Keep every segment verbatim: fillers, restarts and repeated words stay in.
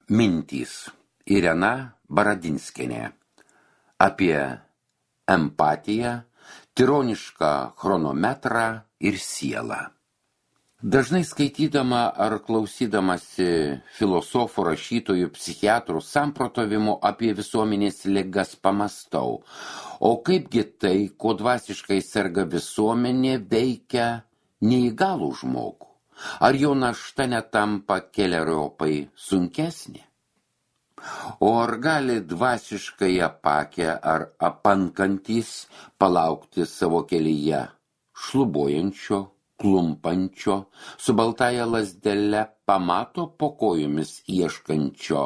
Mintys. Irena Baradinskienė. Apie empatiją, tironišką chronometrą ir sielą. Dažnai skaitydama ar klausydamasi filosofų, rašytojų, psichiatrų samprotavimų apie visuomenės ligas pamastau, o kaipgi tai, kuo dvasiškai serga visuomenė, veikia neįgalų žmogų? Ar jo našta netampa keleriopai sunkesnė? O ar gali dvasiškai apakę ar apankantys palaukti savo kelyje šlubuojančio, klumpančio, su baltaja lazdele pamato po kojomis ieškančio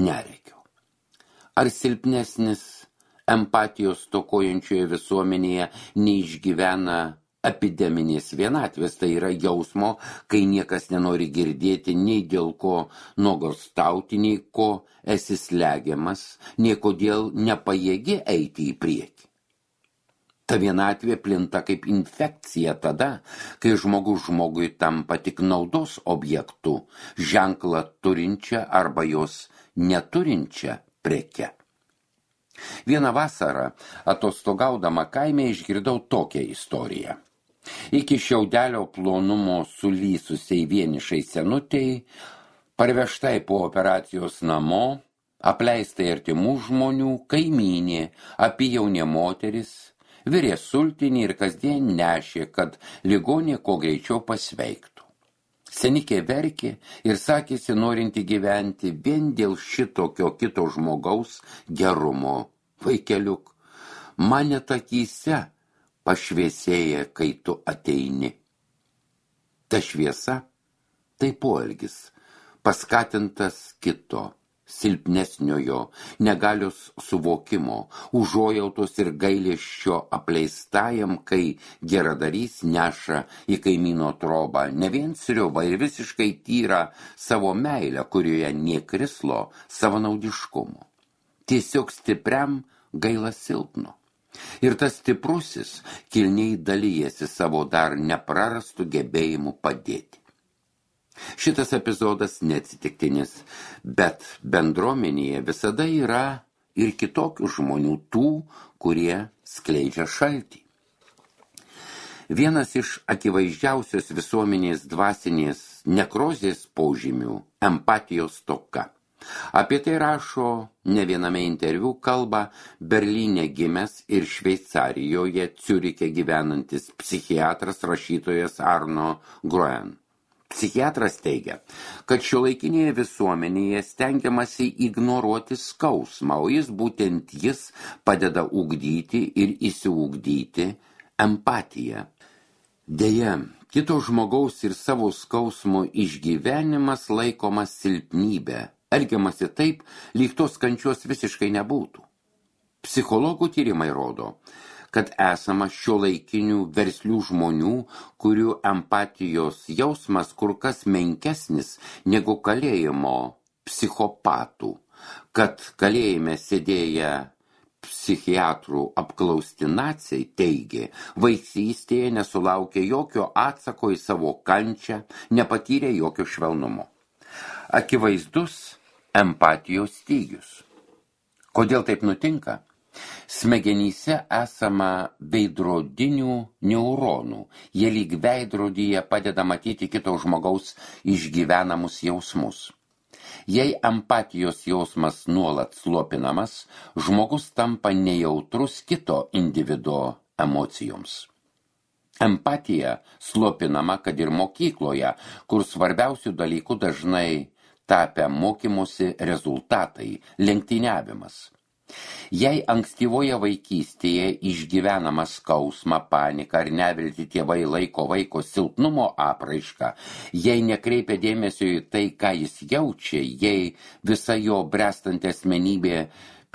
neregio? Ar silpnesnis empatijos stokojančioje visuomenėje neišgyvena epideminės vienatvės, tai yra jausmo, kai niekas nenori girdėti nei dėl ko nuogąstauti, nei ko esi slegiamas, nei kodėl nepajėgi eiti į priekį. Ta vienatvė plinta kaip infekcija tada, kai žmogus žmogui tampa tik naudos objektu, ženklą turinčią arba jos neturinčią preke. Vieną vasarą, atostogaudama kaime, išgirdau tokią istoriją. Iki šiaudelio plonumo sulysusiai vienišai senutei, parvežtai po operacijos namo, apleistai artimų žmonių, kaimynė, apyjaunė moteris, virė sultinį ir kasdien nešė, kad ligonė kuo greičiau pasveiktų. Senikė verkė ir sakėsi norinti gyventi vien dėl šitokio kito žmogaus gerumo. Vaikeliuk, man net akyse pašviesėja, kai tu ateini. Ta šviesa tai poelgis, paskatintas kito, silpnesniojo, negalios suvokimo, užuojautos ir gailesčio apleistajam, kai geradarys neša į kaimyno trobą ne vien sriubą ir visiškai tyrą savo meilę, kurioje nė krislo savanaudiškumo. Tiesiog stipriam gaila silpno. Ir tas stiprusis kilniai dalyjasi savo dar neprarastų gebėjimų padėti. Šitas epizodas neatsitiktinis, bet bendruomenėje visada yra ir kitokių žmonių, tų, kurie skleidžia šaltį. Vienas iš akivaizdžiausios visuomenės dvasinės nekrozės požymių – empatijos stoka. Apie tai rašo ne viename interviu kalba Berlyne gimęs ir Šveicarijoje Ciuriche gyvenantis psichiatras rašytojas Arno Groen. Psichiatras teigia, kad šiuolaikinėje visuomenėje stengiamasi ignoruoti skausmą, o jis būtent jis padeda ugdyti ir įsiugdyti empatiją. Deja, kito žmogaus ir savo skausmo išgyvenimas laikomas silpnybė. Elgiamasi taip, lyg tos kančios visiškai nebūtų. Psichologų tyrimai rodo, kad esama šiuolaikinių verslių žmonių, kurių empatijos jausmas kur kas menkesnis negu kalėjimo psichopatų, kad kalėjime sėdėję psichiatrų apklausti naciai teigė, vaikystėje nesulaukė jokio atsako į savo kančią, nepatyrė jokio švelnumo. Akivaizdus empatijos stygius. Kodėl taip nutinka? Smegenyse esama veidrodinių neuronų. Jie lyg veidrodyje padeda matyti kito žmogaus išgyvenamus jausmus. Jei empatijos jausmas nuolat slopinamas, žmogus tampa nejautrus kito individo emocijoms. Empatija slopinama, kad ir mokykloje, kur svarbiausių dalykų dažnai tapę mokymosi rezultatai, lenktyniavimas. Jei ankstyvoje vaikystėje išgyvenama skausmą, paniką ar neviltį tėvai laiko vaiko silpnumo apraišką, jei nekreipia dėmesio į tai, ką jis jaučia, jei visa jo bręstanti asmenybė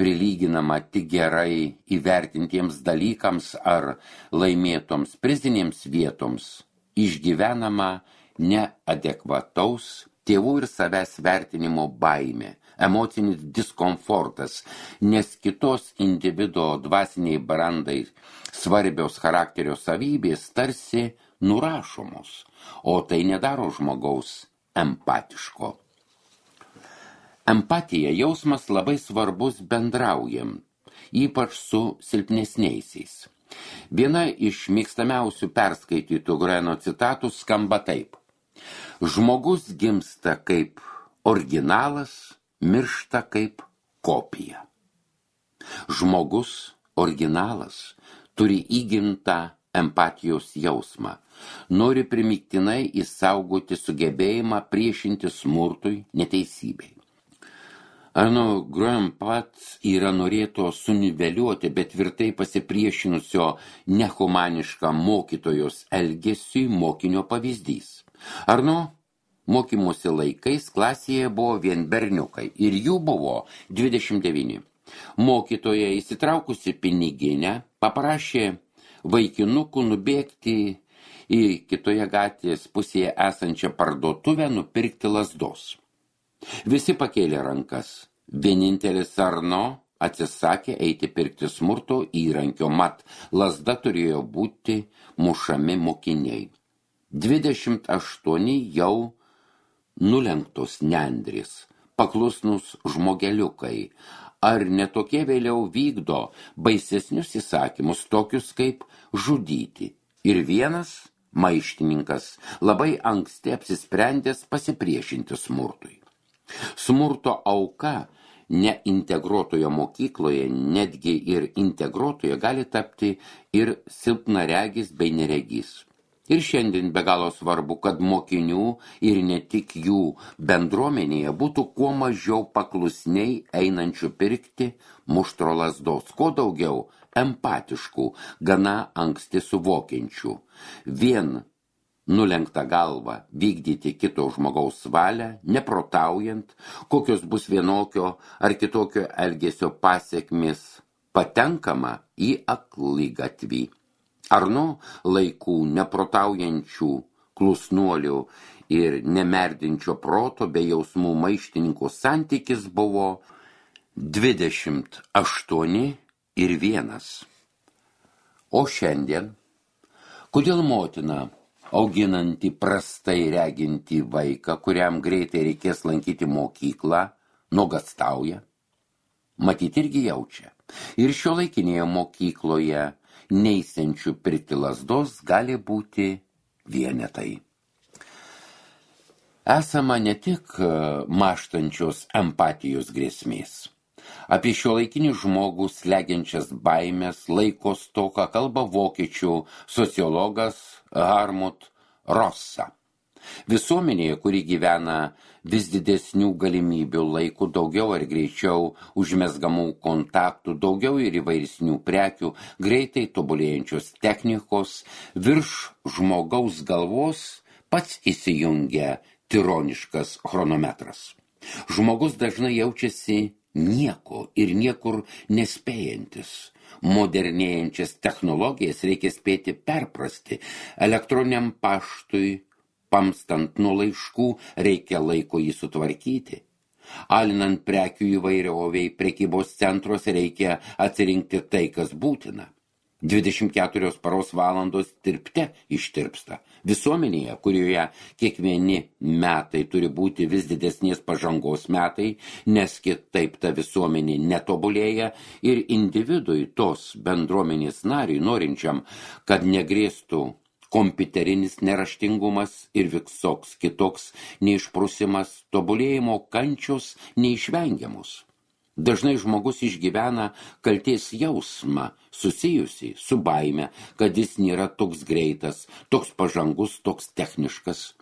prilyginama tik gerai įvertintiems dalykams ar laimėtoms prizinėms vietoms, išgyvenama neadekvataus tėvų ir savęs vertinimo baimė, emocinis diskomfortas, nes kitos individo dvasiniai brandai svarbios charakterio savybės tarsi nurašomos, o tai nedaro žmogaus empatiško. Empatija jausmas labai svarbus bendraujam, ypač su silpnesniaisiais. Viena iš mėgstamiausių perskaitytų Greno citatų skamba taip. Žmogus gimsta kaip originalas, miršta kaip kopija. Žmogus, originalas, turi įgimtą empatijos jausmą, nori primygtinai įsaugoti sugebėjimą priešinti smurtui, neteisybei. Arno Graham pats yra norėto suniveliuoti, bet tvirtai pasipriešinusio nehumaniškam mokytojos elgesiui mokinio pavyzdys. Arno mokymosi laikais klasėje buvo vien berniukai ir jų buvo dvidešimt devyni. Mokytoja įsitraukusi piniginę paprašė vaikinukų nubėgti į kitoje gatvės pusėje esančią parduotuvę nupirkti lazdos. Visi pakėlė rankas. Vienintelis Arno atsisakė eiti pirkti smurto įrankio, mat lazda turėjo būti mušami mokiniai. Dvidešimt aštuoni jau nulenktos nendrės, paklusnus žmogeliukai, ar netokie vėliau vykdo baisesnius įsakymus, tokius kaip žudyti. Ir vienas maištininkas labai anksti apsisprendęs pasipriešinti smurtui. Smurto auka neintegruotoje mokykloje, netgi ir integruotoje, gali tapti ir silpnaregis bei neregys. Ir šiandien be galo svarbu, kad mokinių ir ne tik jų bendruomenėje būtų kuo mažiau paklusniai einančių pirkti muštro lazdos, kuo daugiau empatiškų, gana anksti suvokiančių. Vien nulenktą galvą vykdyti kito žmogaus valią, neprotaujant, kokios bus vienokio ar kitokio elgesio pasekmės, patenkama į akligatvį. Arno laikų neprotaujančių klusnuolių ir nemerdinčio proto bei jausmų maištininkų santykis buvo dvidešimt aštuoni ir vienas. O šiandien, kodėl motina, auginanti prastai reginti vaiką, kuriam greitai reikės lankyti mokyklą, nuogąstauja? Matyt irgi jaučia. Ir šiuolaikinėje mokykloje neisiančių pirkti lazdos gali būti vienetai. Esama ne tik mąštančios empatijos grėsmės. Apie šiuolaikinį žmogų slegiančias baimės, laiko stoką kalba vokiečių sociologas Harmut Rosa. Visuomenėje, kuri gyvena vis didesnių galimybių, laikų daugiau ar greičiau užmezgamų kontaktų, daugiau ir įvairesnių prekių, greitai tobulėjančios technikos, virš žmogaus galvos pats įsijungia tironiškas chronometras. Žmogus dažnai jaučiasi nieko ir niekur nespėjantis. Modernėjančias technologijas reikia spėti perprasti. Elektroniniam paštui, pamstant nuo laiškų, reikia laiko jį sutvarkyti. Alinant prekių įvairioviai prekybos centruose reikia atsirinkti tai, kas būtina. dvidešimt keturios paros valandos tirpte ištirpsta. Visuomenėje, kurioje kiekvieni metai turi būti vis didesnės pažangos metai, nes kitaip ta visuomenė netobulėja ir individui, tos bendruomenės nariui, norinčiam, kad negrėstų kompiuterinis neraštingumas ir visoks kitoks neišprusimas, tobulėjimo kančios neišvengiamus. Dažnai žmogus išgyvena kaltės jausmą susijusi su baime, kad jis nėra toks greitas, toks pažangus, toks techniškas.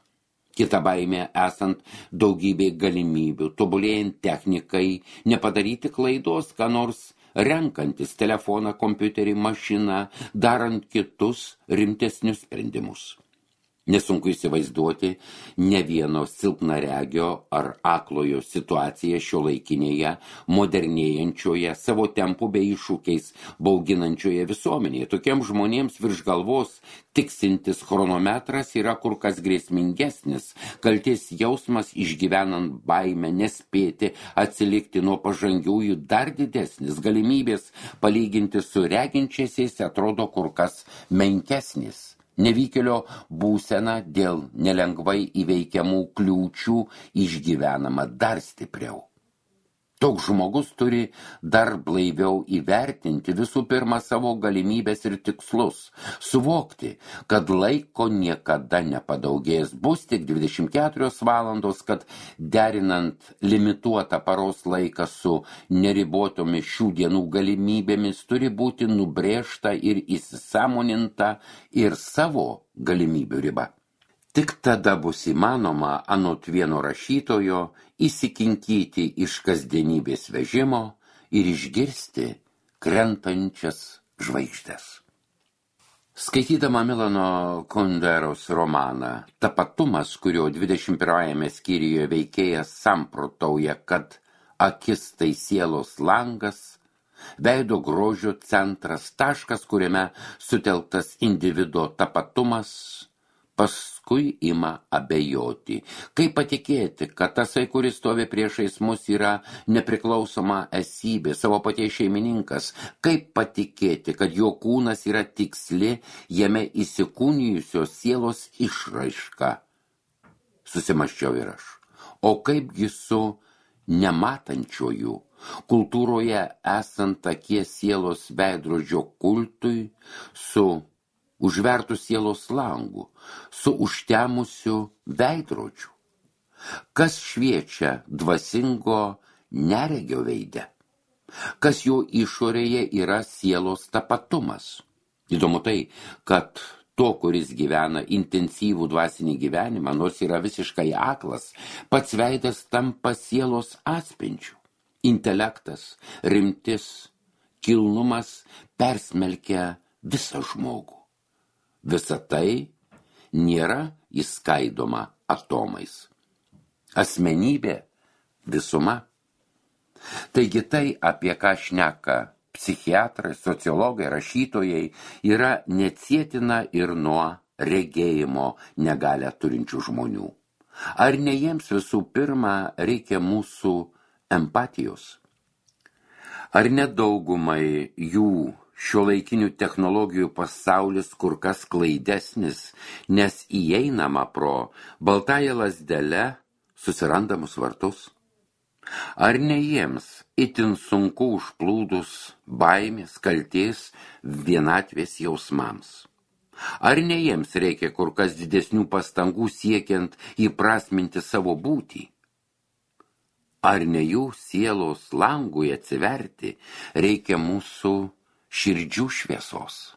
Kita baimė esant daugybė galimybių, tobulėjant technikai, nepadaryti klaidos, ką nors renkantis telefoną, kompiuterį, mašiną, darant kitus rimtesnius sprendimus. Nesunku įsivaizduoti ne vieno silpnaregio ar aklojo situaciją šiuolaikinėje, modernėjančioje, savo tempų bei iššūkiais bauginančioje visuomenėje. Tokiems žmonėms virš galvos tiksintis chronometras yra kur kas grėsmingesnis, kaltės jausmas išgyvenant baimę, nespėti atsilikti nuo pažangiųjų dar didesnis, galimybės palyginti su reginčiaisiais atrodo kur kas menkesnis. Nevykėlio būsena dėl nelengvai įveikiamų kliūčių išgyvenama dar stipriau. Toks žmogus turi dar blaiviau įvertinti visų pirma savo galimybės ir tikslus, suvokti, kad laiko niekada nepadaugės, bus tik dvidešimt keturios valandos, kad derinant limituotą paros laiką su neribotomis šių dienų galimybėmis turi būti nubrėžta ir įsisąmoninta ir savo galimybių riba. Tik tada bus įmanoma, anot vieno rašytojo, įsikinkyti iš kasdienybės vežimo ir išgirsti krentančias žvaigždes. Skaitydama Milano Kunderos romaną Tapatumas, kurio dvidešimt pirmajame skyriuje veikėjas samprotauja, kad akis tai sielos langas, veido grožio centras, taškas, kuriame sutelktas individo tapatumas, paskui ima abejoti. Kaip patikėti, kad tasai, kuris stovi priešais mus, yra nepriklausoma esybė, savo paties šeimininkas? Kaip patikėti, kad jo kūnas yra tiksli, jame įsikūnijusios sielos išraiška? Susimąsčiau ir aš. O kaipgi su nematančiuoju, kultūroje esant akies sielos veidrodžio kultui, su užvertų sielos langų, su užtemusiu veidrodžiu? Kas šviečia dvasingo neregio veide? Kas jo išorėje yra sielos tapatumas? Įdomu tai, kad to, kuris gyvena intensyvų dvasinį gyvenimą, nors yra visiškai aklas, pats veidas tampa sielos atspindžiu. Intelektas, rimtis, kilnumas persmelkia visą žmogų. Visa tai nėra įskaidoma atomais. Asmenybė visuma. Taigi tai, apie ką šneka psichiatrai, sociologai, rašytojai, yra neatsietina ir nuo regėjimo negalią turinčių žmonių. Ar ne jiems visų pirma reikia mūsų empatijos? Ar ne daugumai jų šiuolaikinių technologijų pasaulis kur kas klaidesnis, nes įeinama pro baltąją lazdelę susirandamus vartus? Ar ne jiems itin sunku užplūdus baimės, kaltės, vienatvės jausmams? Ar ne jiems reikia kur kas didesnių pastangų siekiant įprasminti savo būtį? Ar ne jų sielos langui atsiverti reikia mūsų širdžių šviesos?